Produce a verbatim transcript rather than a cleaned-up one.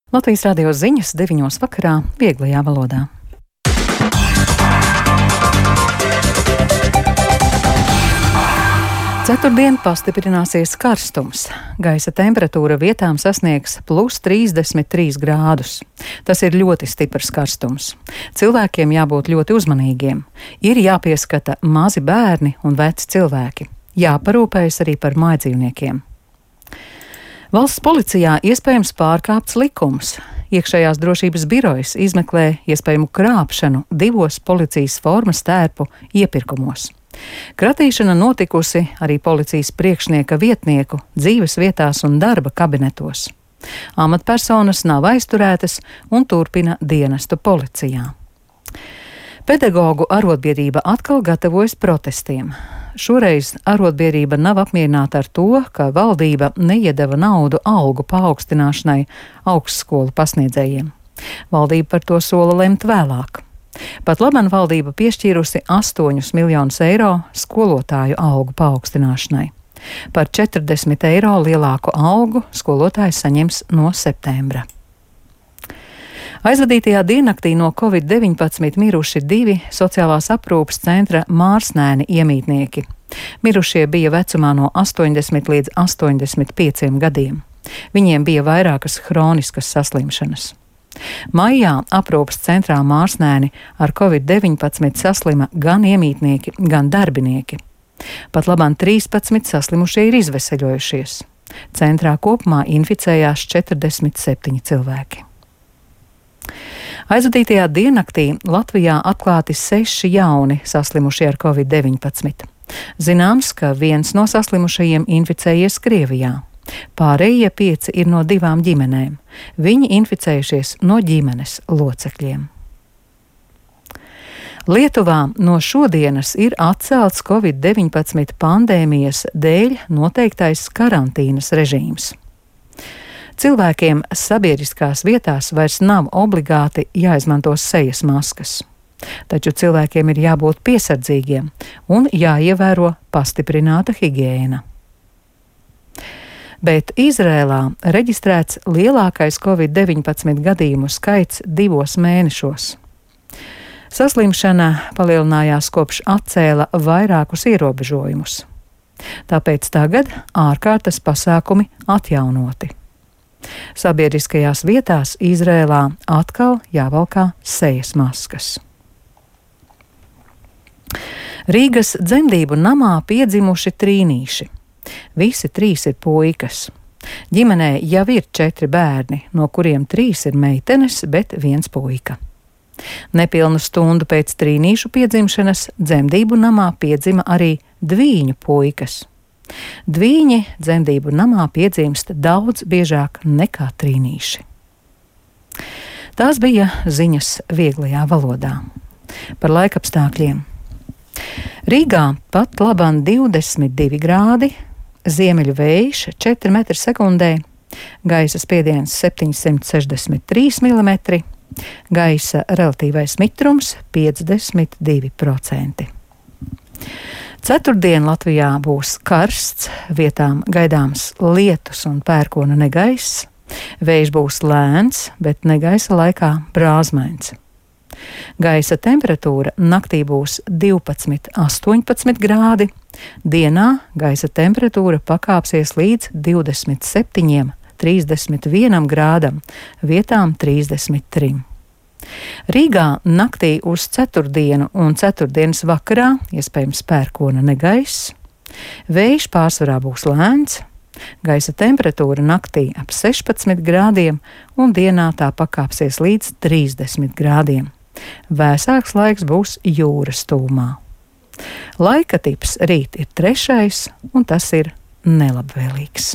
Latvijas radio ziņas deviņos vakarā vieglajā valodā. Ceturtdien pastiprināsies karstums. Gaisa temperatūra vietām sasniegs plus trīsdesmit trīs grādus. Tas ir ļoti stiprs karstums. Cilvēkiem jābūt ļoti uzmanīgiem. Ir jāpieskata mazi bērni un veci cilvēki. Jāparūpējas arī par mājdzīvniekiem. Valsts policijā iespējams pārkāpts likums. Iekšējās drošības birojas izmeklē iespējamu krāpšanu divos policijas formas tērpu iepirkumos. Kratīšana notikusi arī policijas priekšnieka vietnieku dzīves vietās un darba kabinetos. Amatpersonas nav aizturētas un turpina dienestu policijā. Pedagogu arotbiedrība atkal gatavojas protestiem. Šoreiz arotbiedrība nav apmierināta ar to, ka valdība neiedeva naudu algu paaugstināšanai augstskolu pasniedzējiem. Valdība par to sola lemt vēlāk. Pat labāk valdība piešķīrusi astoņus miljonus eiro skolotāju algu paaugstināšanai. Par četrdesmit eiro lielāku algu skolotāji saņems no septembra. Aizvadītajā diennaktī no covid deviņpadsmit miruši divi sociālās aprūpes centra Mārsnēni iemītnieki. Mirušie bija vecumā no astoņdesmit līdz astoņdesmit pieciem gadiem. Viņiem bija vairākas hroniskas saslimšanas. Maijā aprūpes centrā Mārsnēni ar covid deviņpadsmit saslima gan iemītnieki, gan darbinieki. Pat labāk trīspadsmit saslimušie ir izveseļojušies. Centrā kopumā inficējās četrdesmit septiņi cilvēki. Aizvadītajā diennaktī Latvijā atklāti seši jauni saslimušie ar covid deviņpadsmit. Zināms, ka viens no saslimušajiem inficējies Krievijā. Pārējie pieci ir no divām ģimenēm. Viņi inficējušies no ģimenes locekļiem. Lietuvā no šodienas ir atcelts covid deviņpadsmit pandēmijas dēļ noteiktais karantīnas režīms. Cilvēkiem sabiedriskās vietās vairs nav obligāti jāizmanto sejas maskas. Taču cilvēkiem ir jābūt piesardzīgiem un jāievēro pastiprināta higiēna. Bet Izrēlā reģistrēts lielākais covid deviņpadsmit gadījumu skaits divos mēnešos. Saslimšana palielinājās kopš atcēla vairākus ierobežojumus. Tāpēc tagad ārkārtas pasākumi atjaunoti. Sabiedriskajās vietās Izrēlā atkal jāvalkā sejas maskas. Rīgas dzemdību namā piedzimuši trīnīši. Visi trīs ir puikas. Ģimenē jau ir četri bērni, no kuriem trīs ir meitenes, bet viens puika. Nepilnu stundu pēc trīnīšu piedzimšanas dzemdību namā piedzima arī dvīņu puikas. Dvīņi dzemdību namā piedzimst daudz biežāk nekā trīnīši. Tās bija ziņas vieglajā valodā. Par laikapstākļiem. Rīgā pat labāk divdesmit divi grādi, ziemeļu vējš četri metri sekundē, gaisa spiediens septiņsimt sešdesmit trīs milimetri, gaisa relatīvais mitrums piecdesmit divi procenti. Ceturtdien Latvijā būs karsts, vietām gaidāms lietus un pērkona negaiss. Vējš būs lēns, bet negaisa laikā brāzmains. Gaisa temperatūra naktī būs divpadsmit astoņpadsmit grādi, dienā gaisa temperatūra pakāpsies līdz divdesmit septiņiem trīsdesmit vienam grādam, vietām trīsdesmit trim. Rīgā naktī uz ceturtdienu un ceturtdienas vakarā iespējams pērkona negaiss. Vējš pārsvarā būs lēns, gaisa temperatūra naktī ap sešpadsmit grādiem un dienā tā pakāpsies līdz trīsdesmit grādiem. Vēsāks laiks būs jūras tūmā. Laika tips rīt ir trešais, un tas ir nelabvēlīgs.